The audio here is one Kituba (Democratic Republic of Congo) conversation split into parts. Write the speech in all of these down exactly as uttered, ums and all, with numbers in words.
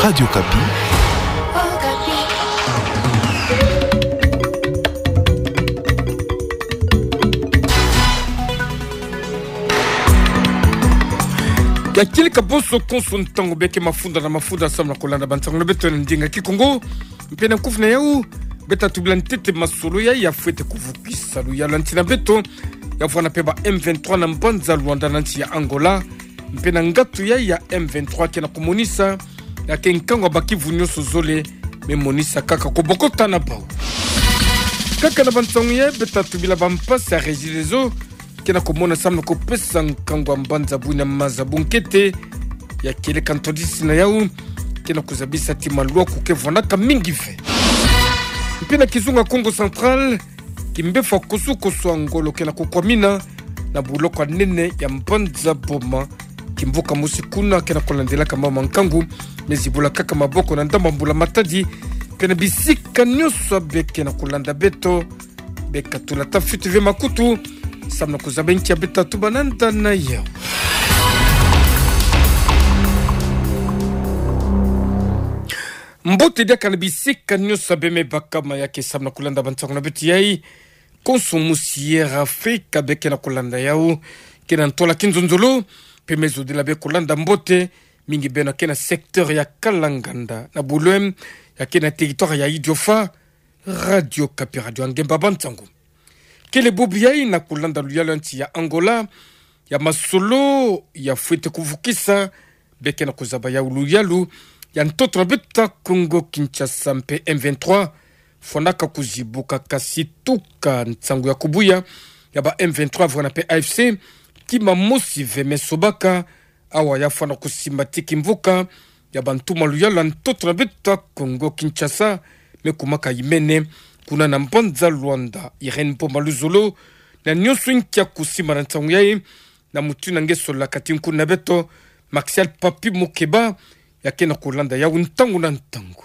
Radio Okapi. Ya kieleka bonso konso ntangu bê ke mafunda na mafunda samu na kulanda bansangu na beto na ndinga Kikongo. Mpe na kuvuna yau, bê ta tubila ntete masolo ya, ya fwete kuvukisa luyalu ya nti na beto, ya vwanda mpe ba M vingt-trois na mbanza Luanda na nti ya Angola, mpe na ngatu ya, ya M vingt-trois ke na kumonisa, ya ke nkangu ya bakivu nyonso zole, me monisa kaka kobokota na bau. Kaka na bansangu ya, bê ta tubila bampasi ya Regideso, ke na kumona samu na kupesa nkangu ya mbanza buna maza bunkete, ya kieleka ntwadisi na yau, ke na kuzabisa ti malwaku ke vwanaka mingi ve. Mpe na kizunga Kongo Central, kimbevo ya kosukosu ya ngolo ke na kukwamina, na buloko ya nene ya mbanza Boma, kimvuka mosi kuna ke na kulandelaka mama nkangu, me zibula kaka maboko na ndambu ya mbula matadi, mpe na bisika nyonso bê ke na kulanda beto, bê katula ta fiti ve makutu, samu na kuzaba nki ya bê ta tuba nanda na yau. Mbote diaka na bisika nyonso bê me baka mayaki samu na kulanda bansangu na beto yai, konso musi Air Afrique bê ke na kulanda yau, ke na ntwala kinzonzolo, mpe me zodila bê kulanda mbote, mingi beno ke na secteur ya Kalanganda, na Boulogne, ya ke na territoire ya Idiofa, Radio Okapi, radio ya ngemba bansangu. Kele bubu yai na kulanda luyalu ya nti ya Angola, ya masolo ya fwete kuvukisa, bê ke na kuzaba yau luyalu ya ntoto na beto ya Kongo Kinshasa mpe M vingt-trois, fwanaka kuzibuka kasi tuka nsangu ya kubuya ya ba M vingt-trois vwena mpe A F C, kima mosi ve me sobaka, awa ya fwana kusimba ti kimvuka ya bantumwa luyalu ya ntoto na beto ya Kongo Kinshasa, me kumaka imene, kuna na mbanza Luanda, Irène Mboma Luzolo, na nyonso nkia kusimba na nsangu yai, na mutindu na nge solaka ti nkuna na beto, Martial Papi Mukeba, ya ke na kulanda yau ntangu na ntangu.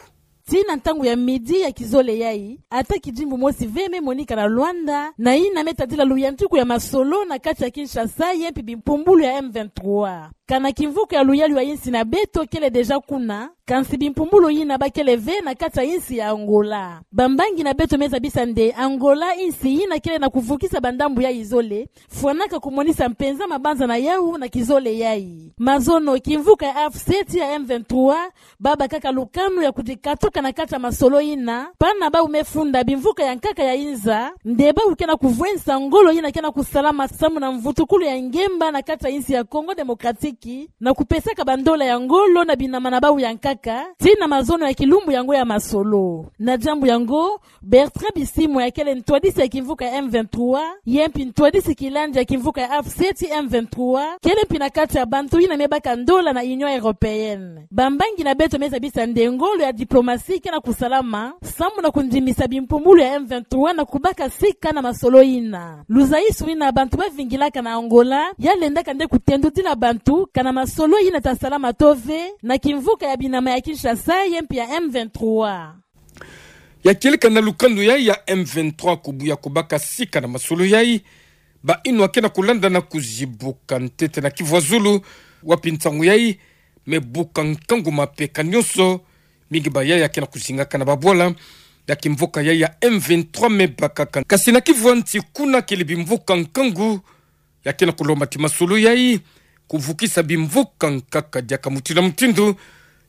Tii na ntangu ya midi ya kizole yai, ata kidimbu mosi ve me monika na Luanda, na yina me tadila luyantiku ya masolo na kati ya Kinshasa, ye mpi bimpumbulu ya M vingt-trois. Kana kimvuka ya luyalu ya insi na beto kele déjà kuna, kansi bimpumbulu yina bakele ve na kati ya insi ya Angola. Bambangi na beto me zabisa nde Angola insi yina kele na kuvukisa bandambu yai zole, fwanaka kumonisa mpenza mabanza na yau na kizole yai. Mazono, kimvuka ya A F C ti ya M vingt-trois, babâ kaka lukanu ya kudikatuka na kati ya masolo yina, pana bau me funda bimvuka ya nkaka ya inza, nde bau ke na kuvwensa ngolo yina ke na kusalama samu na mvutukulu ya ngemba na kati ya insi ya Congo Démocratique, na kupesaka bandola ya ngolo na binama na bau ya nkaka, tii na mazono ya kilumbu yango ya masolo. Na diambu yango, Bertrand Bisimwa ya kele ntwadisi ya kimvuka ya M vingt-trois, ye mpi ntwadisi kilandi ya kimvuka ya A F C ti M vingt-trois, kele mpi na kati ya bantu yina me baka ndola na Union Européenne. Bambangi na beto me zabisa nde ngolo ya diplomatie ke na kusalama, samu na kundimisa bimpumbulu ya M vingt-trois na kubaka sika na masolo yina. Luzaisu yina bantu bavingilaka na Angola, ya lendaka nde kutendudila bantu, kana masolo yina ta salama to ve, na kimvuka ya binama ya Kinshasa, ye mpi ya M vingt-trois. Ya kieleka na lukanu yai ya M vingt-trois kubuya kubaka sika na masolo yai, ba inwa ke na kulanda na kuzibuka ntete na Kivu ya Zulu, wapi nsangu yai me buka nkangu mapeka nyonso, mingi ba yai ya ke na kuzingaka na babwala ya kimvuka yai ya M vingt-trois me bakaka. Kasi na Kivu ya Nsi kuna kele bimvuka nkangu, ya ke na kulomba ti masolo yai, kuvukisa bimvuka nkaka diaka mutindu na mutindu,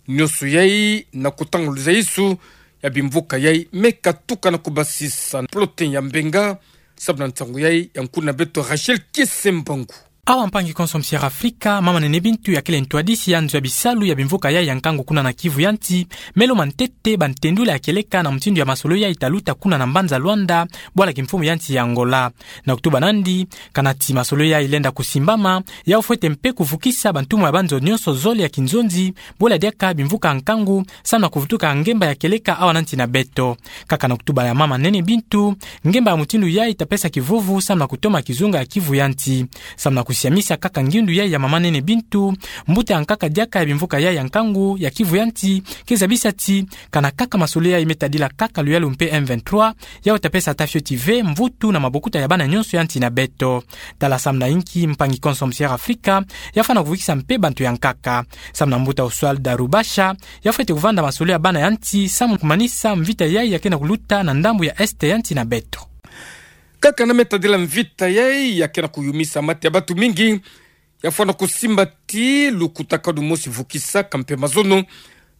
nyonso yai na kutanga luzaisu ya bimvuka yai me katuka na kubasisa. Plotin ya Mbenga, samu na nsangu yai ya nkuna beto Rachel Kiese Mbangu. Awa mpangi konso musi Air Afrika, mama Nene Bintu ya kele ntwadisi ya nzo ya bisalu ya bimvuka yai ya nkangu kuna na Kivu ya Nsi, me lomba ntete bantendula ya kieleka na mutindu ya masolo yai ta luta kuna na mbanza Luanda, bwala kimfumu ya nsi ya Angola. Na kutuba nandi, kana ti masolo yai lenda kusimbama, yau fwete mpe kuvukisa bantumwa ya banzo nyonso zole ya kinzonzi, bwala diaka bimvuka nkangu, samu na kuvutuka ngemba ya kieleka awa na nsi na beto. Kaka na kutuba ya mama Nene Bintu, ngemba ya mutindu yai ta pesa kivuvu samu na kutoma kizunga ya Kivu ya Nsi. Samu na kusi- Siamisa kaka ngindu yai ya mama nene Bintu, mbuta ya nkaka diaka ya bimvuka yai ya nkangu ya Kivu ya nti, ke zabisa ti, kana kaka masolo yai me tadila kaka luyalu mpe M vingt-trois, ya uta pesa ata fioti ve mvutu na mabokuta ya bana nyonso ya nti na beto. Tala samu na inki mpangi konso Musière Afrika, ya fwana kuvukisa mpe bantu ya nkaka. Samu na mbuta Oswald Rubasha, ya fwete kuvanda masolo ya bana ya nti, samu kumanisa mvita yai ya kena kuluta na ndambu ya Est ya nti na beto. Kaka na me tadila mvita yai ya kena kuyumisa mate ya bantu mingi, ya fwana kusimba ti lukutakanu mosi vukisaka mpe mazono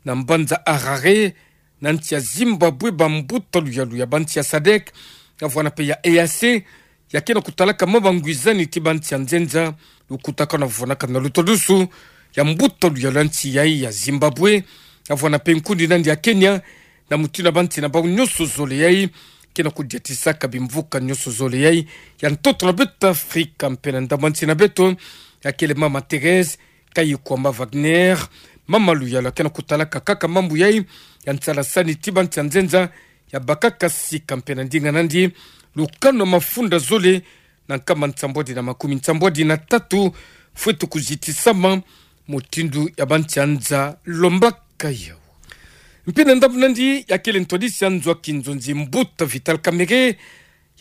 na mbanza Harare, na nti ya Zimbabwe, bambuta luyalu ya banti ya sadec, ya vwana mpe ya E A C, ya kena kutalaka mwa bangwizani ti banti ya nzenza, lukutakanu ya vwanaka na lutodusu ya mbuta luyalu ya nti yai ya Zimbabwe, ya vwana mpe nkundi nandi ya Kenya, na mutindu ya banti na bau nyonso zole yai, kena kudiatisaka bimvuka nyonso zole yai ya ntoto na beto Afrika mpe na ndambu ya nti na beto, ya kele mama Thérèse Kayikwamba Wagner, mama luyalu ya kena kutalaka kaka mambu yai ya nsalasani ti banti ya nzenza, ya bakaka sika mpe na ndinga nandi, lukanu ya mafunda zole na nkama nsambwadi na makumi nsambwadi na tatu, fwete kuzitisama, mutindu ya banti ya nza lombaka yau. Mpe na ndambu nandi ya kele ntwadisi ya nzo ya kinzonzi, mbuta Vital Kamerhe,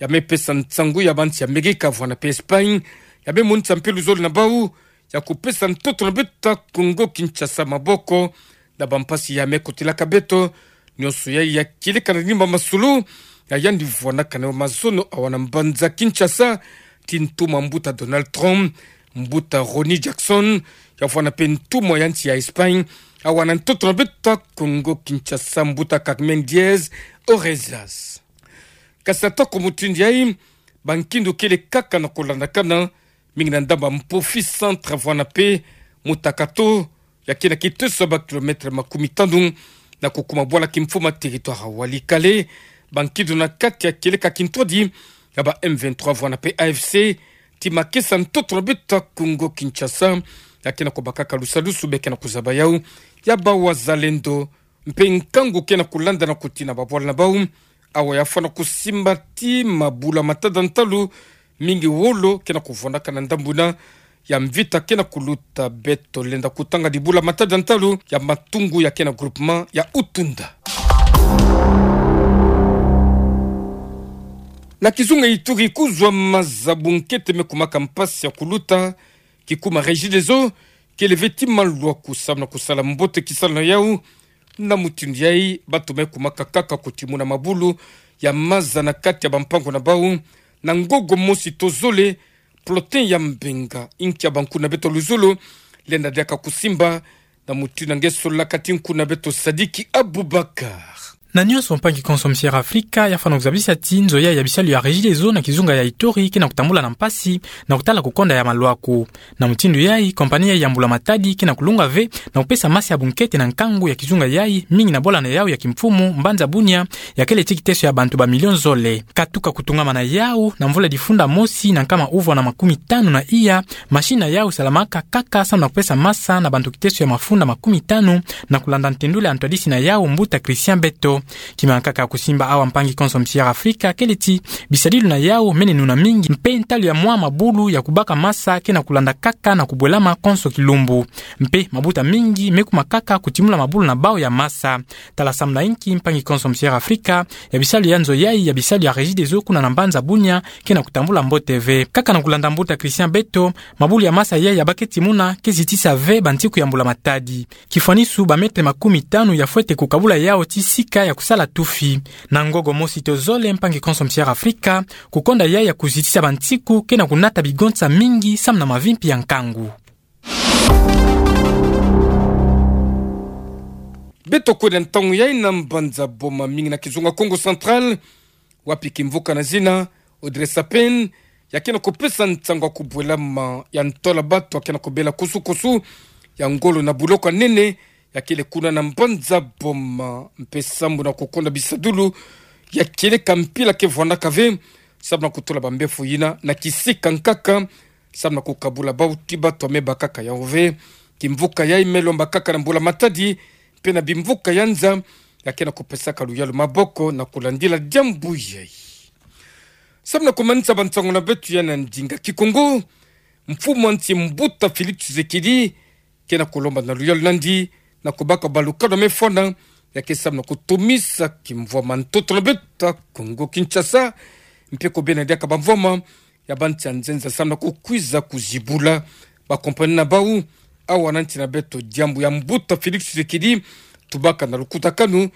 ya me pesa nsangu ya banti ya Amerika vwana mpe Espagne, ya me monisa mpe luzolo na bau ya kupesa ntoto na beto Kongo Kinshasa maboko na bampasi ya me kotelaka beto. Nyonso yai ya kieleka na rimba masolo ya yandi vwanaka na mazono awa na mbanza Kinshasa, ti ntumwa mbuta Donald Trump, mbuta Ronny Jackson, ya vwana mpe ntumwa ya nti ya Espagne, awa na ntoto na beto Kongo Kinshasa, mbuta Carmen Diaz Orezas. Kasi atako mutindu yai, bankindu kele kaka na kulandakana, mingi na ndambu ya Mpofi Centre vwana mpe Mutakato, ya kena kiteso ya ba kilomètre makumi tanu na kukuma bwala kimfumu ya territoire ya Walikale. Bankindu na kati ya kieleka kintwadi ya ba M vingt-trois vwana mpe A F C, ti makesa ntoto na beto Kongo Kinshasa, ya kena kubakaka lusadusu be kena kuzaba yau ya ba wazalendo. Mpe nkangu kena kulanda na kutina babwala na bau, awa ya fwana kusimba ti mabulu ya matada ntalu, mingi wolo kena kuvwanaka na ndambu na ya mvita kena kuluta. Beto lenda kutanga dibulu ya matada ntalu ya matungu ya kena groupement ya Utunda. Na kizunga Ituri, kuzwa maza ya bunkete me kumaka mpasi ya kuluta, kikuma Regideso kele ve ti malwaku samu na kusala mbote kisalu na yau. Na mutindu yai, bantu me kumaka kaka kutimuna mabulu ya maza na kati ya bampangu na bau na ngogo mosi to zole. Plotin ya Mbenga, inki ya bankuna beto luzolo, lenda diaka kusimba, na mutindu nge solaka ti nkuna beto Sadiki Abubakar. Na nyonso, mpangi konso Musière Afrika ya fwana kuzabisa ti nzo yai ya bisalu ya Regideso na kizunga ya Ituri kena kutambula na mpasi na kutala kukonda ya malwaku. Na mutindu yai, compagnie yai ya mbula matadi kena kulunga ve na kupesa masi ya bunkete na nkangu ya kizunga yai, mingi na bwala na yau ya kimfumu, mbanza Bunia, ya kele ti kiteso ya bantu ba million zole. Katuka kutungama na yau, na mvula difunda mosi na nkama uvwa na makumi tanu na iya, machine na yau salamaka kaka samu na kupesa masa na bantu kiteso ya mafunda makumi tanu, na kulanda ntendula ya ntwadisi na yau, mbuta Christian Beto. Kima kaka kusimba awa, mpangi konso Musière Afrika, kele ti bisadilu na yau mene nuna mingi, mpe ntalu ya mwa mabulu ya kubaka masa kena kulanda kaka na kubwelama konso kilumbu. Mpe mabuta mingi me kuma kaka kutimula mabulu na bau ya masa. Tala samu na inki mpangi konso Musière Afrika, ya bisalu ya nzo yai ya bisalu ya Regideso kuna na mbanza Bunia kena kutambula mbote ve. Kaka na kulanda mbuta Christian Beto, mabulu ya masa yai ya ba ke timuna ke zitisa ve bantiku ya mbula matadi. Kifwanisu, ba mètre makumi tanu ya fwete kukabula yau ti sika ya kusala tufi. Na ngogo mosi to zole, mpangi konso Musière Afrika, kukonda yai ya kuzitisa bantiku kena kunata bigonsa mingi samu na mavimpi ya nkangu. Beto kwenda ntangu yai na mbanza Boma, mingi na kizunga Kongo Central, wapi kimvuka na zina Audrey Sapin ya kena kupesa nsangu ya kubwelama ya ntola bantu ya kena kubela kusu-kusu ya ngolo na buloko ya nene ya kele kuna na mbanza Boma, mpe samu na kukonda bisadulu ya kieleka mpila ke vwandaka ve, samu na kutula bambefo yina na kisika nkaka, samu na kukabula bau ti bantu ya me bakaka yau ve. Kimvuka yai me lomba kaka na mbula matadi, mpe na bimvuka ya nza, ya kena kupesaka luyalu maboko na kulandila diambu yai. Samu na kumanisa bansangu na beto ya na ndinga Kikongo, mfumu a nsi mbuta Félix Tshisekedi ke na kolomba na luyalu nandi na kobaka balukanu ya mefana, ya ke sambana kotomisa kimvwama ntoto na beto Kongo Kinshasa, mpe kobena diaka bamvwama ya bansi ya nzenza sambana kokwiza kozibula bakompani na bau. Awa na nsi na beto diambu ya mbuta Félix Tshisekedi, tubaka na lukutakanu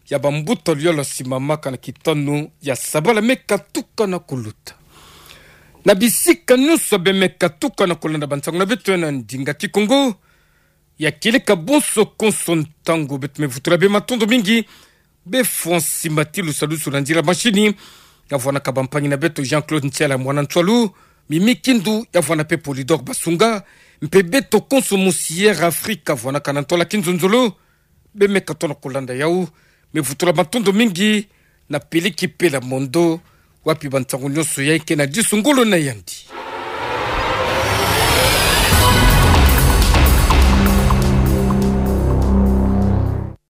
ya bambuta luyalu ya simamaka na kitanu ya sabala meka tukana kuluta. Na bisika nyonso beme katukana kolanda bansango na beto ya na ndinga Kikongo, ya kieleka bonso konso ntangu, beto me vutula beno matondo mingi. Befwa nsi mati lusalusu na nzila mashini, ya vwanaka bampangi na beto Jean-Claude Ntiala mwana Ntsoilu, Mimi Kindu, ya vwana mpe Polydor Basunga, mpe beto konso mu Sierra Africa vwanaka na ntwala kinzonzolo, beme katona kolanda yawu, me vutula matondo mingi na Peliki Pela Mondo, wapi bansango nyonso ya ke na disu ngolo na yandi.